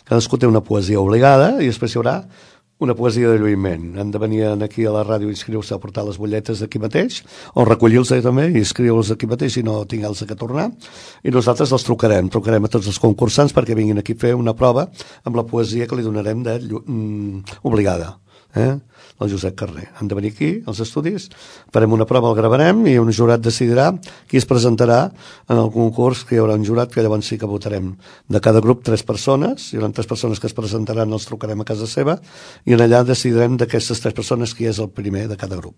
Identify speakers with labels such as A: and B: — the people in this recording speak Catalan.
A: Cadascú té una poesia obligada i després hi haurà una poesia de lluïment. Han de venir aquí a la ràdio i inscriure-se a portar les butlletes d'aquí mateix, o recollir-los també i inscriure-los aquí mateix i no tingueu-los que tornar. I nosaltres els trucarem a tots els concursants perquè vinguin aquí a fer una prova amb la poesia que li donarem obligada. El Josep Carrer. Han de venir aquí, als estudis, farem una prova, el gravarem i un jurat decidirà qui es presentarà en el concurs, que hi haurà un jurat que llavors sí que votarem. De cada grup 3 persones, hi haurà 3 persones que es presentaran, els trucarem a casa seva i en allà decidirem d'aquestes 3 persones qui és el primer de cada grup.